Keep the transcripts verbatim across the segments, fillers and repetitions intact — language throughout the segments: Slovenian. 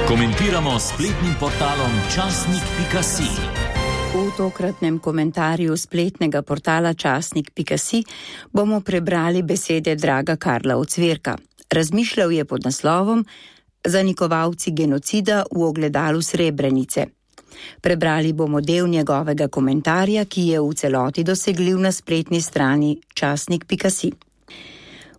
Komentiramo spletnim portalom časnik pika si. V tokratnem komentarju spletnega portala časnik pika si bomo prebrali besede Draga Karla Ocvirka. Razmišljal je pod naslovom Zanikovalci genocida v ogledalu Srebrenice. Prebrali bomo del njegovega komentarja, ki je v celoti dosegljiv na spletni strani časnik pika si.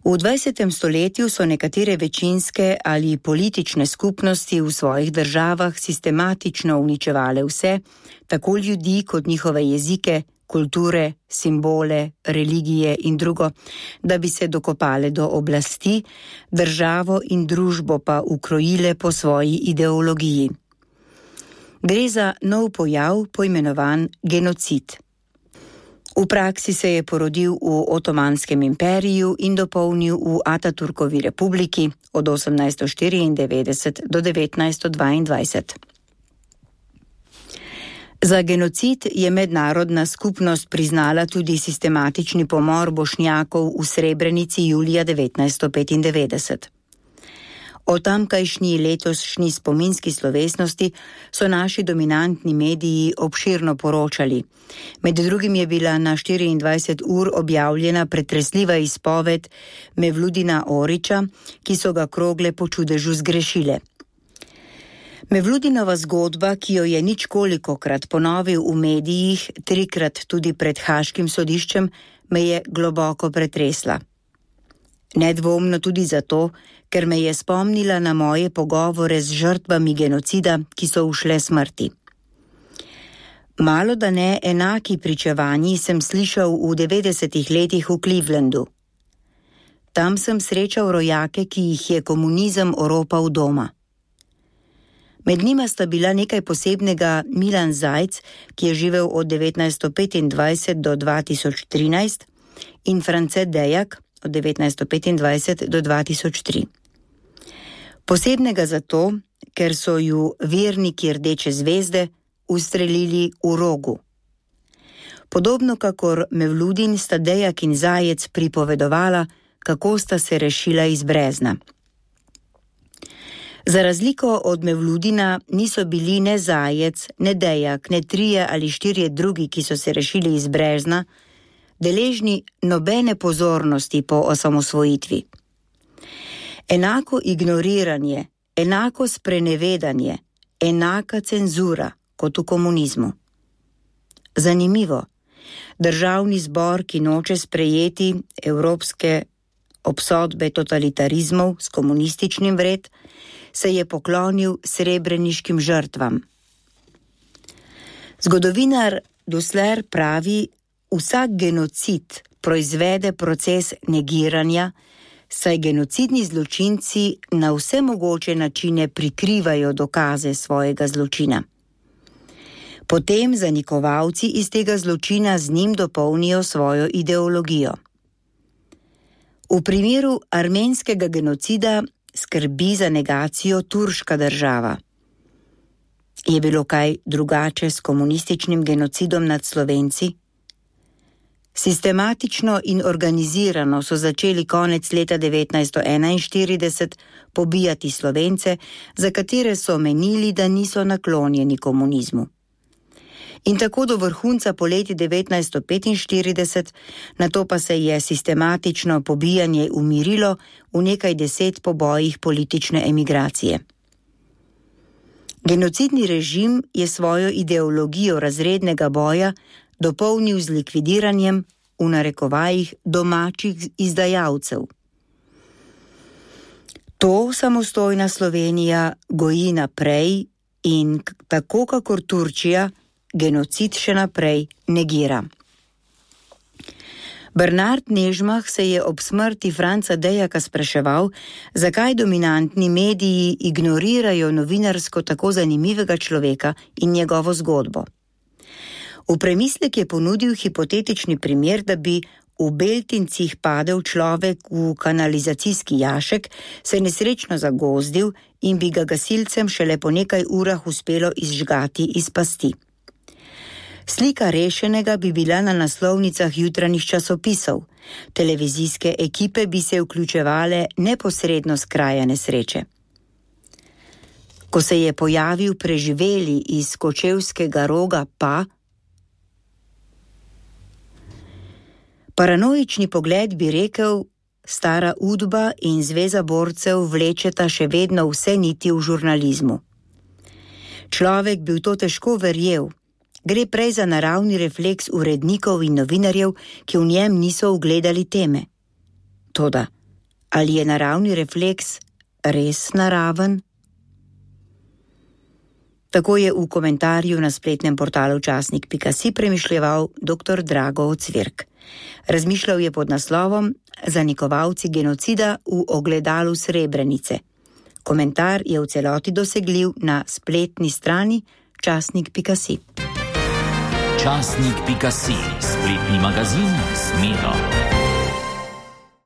V dvajsetem stoletju so nekatere večinske ali politične skupnosti v svojih državah sistematično uničevale vse, tako ljudi kot njihove jezike, kulture, simbole, religije in drugo, da bi se dokopale do oblasti, državo in družbo pa ukrojile po svoji ideologiji. Gre za nov pojav, poimenovan genocid. V praksi se je porodil v Otomanskem imperiju in dopolnil v Ataturkovi republiki od osemnajststo štiriindevetdeset do devetnajststo dvaindvajset. Za genocid je mednarodna skupnost priznala tudi sistematični pomor Bošnjakov v Srebrenici julija devetnajststo petindevetdeset. O tamkajšnji letošnji spominski slovesnosti so naši dominantni mediji obširno poročali. Med drugim je bila na štiriindvajset ur objavljena pretresljiva izpoved Mevludina Orića, ki so ga krogle po čudežu zgrešile. Mevludinova zgodba, ki jo je ničkolikokrat ponovil v medijih, trikrat tudi pred Haškim sodiščem, me je globoko pretresla. Nedvomno tudi zato, ker me je spomnila na moje pogovore z žrtvami genocida, ki so ušle smrti. Malo da ne enaki pričevanji sem slišal v devetdesetih letih v Clevelandu. Tam sem srečal rojake, ki jih je komunizem oropal doma. Med njima sta bila nekaj posebnega Milan Zajc, ki je živel od devetnajststo petindvajset do dva tisoč trinajst, in France Dejak od devetnajststo petindvajset do dva tisoč tri. Posebnega zato, ker so ju verniki Rdeče zvezde ustrelili v Rogu. Podobno kakor Mevludin sta Dejak in Zajec pripovedovala, kako sta se rešila iz brezna. Za razliko od Mevludina niso bili ne Zajec, ne Dejak, ne trije ali štirje drugi, ki so se rešili iz brezna, deležni nobene pozornosti po osamosvojitvi. Enako ignoriranje, enako sprenevedanje, enaka cenzura kot v komunizmu. Zanimivo, državni zbor, ki noče sprejeti evropske obsodbe totalitarizmov s komunističnim vred, se je poklonil srebreniškim žrtvam. Zgodovinar Dusler pravi, vsak genocid proizvede proces negiranja, saj genocidni zločinci na vse mogoče načine prikrivajo dokaze svojega zločina. Potem zanikovalci iz tega zločina z njim dopolnijo svojo ideologijo. V primeru armenskega genocida skrbi za negacijo turška država. Je bilo kaj drugače s komunističnim genocidom nad Slovenci? Sistematično in organizirano so začeli konec leta devetnajststo enainštirideset pobijati Slovence, za katere so menili, da niso naklonjeni komunizmu. In tako do vrhunca poleti devetnajststo petinštirideset, nato pa se je sistematično pobijanje umirilo v nekaj deset pobojih politične emigracije. Genocidni režim je svojo ideologijo razrednega boja dopolnil z likvidiranjem, v narekovajih, domačih izdajalcev. To samostojna Slovenija goji naprej in tako kakor Turčija genocid še naprej negira. Bernard Nežmah se je ob smrti Franca Dejaka spraševal, zakaj dominantni mediji ignorirajo novinarsko tako zanimivega človeka in njegovo zgodbo. V premislek je ponudil hipotetični primer, da bi v Beltincih padel človek v kanalizacijski jašek, se nesrečno zagozdil in bi ga gasilcem šele po nekaj urah uspelo izžgati iz pasti. Slika rešenega bi bila na naslovnicah jutranjih časopisov. Televizijske ekipe bi se vključevale neposredno s kraja nesreče. Ko se je pojavil preživeli iz Kočevskega Roga, pa paranoični pogled bi rekel, stara Udba in Zveza borcev vlečeta še vedno vse niti v žurnalizmu. Človek bi v to težko verjel. Gre prej za naravni refleks urednikov in novinarjev, ki v njem niso ugledali teme. Toda, ali je naravni refleks res naraven? Tako je v komentarju na spletnem portalu časnik pika si premišljeval doktor Drago Ocvirk. Razmišljal je pod naslovom Zanikovalci genocida v ogledalu Srebrenice. Komentar je v celoti dosegljiv na spletni strani časnik pika si. časnik pika si, spletni magazin s Medo.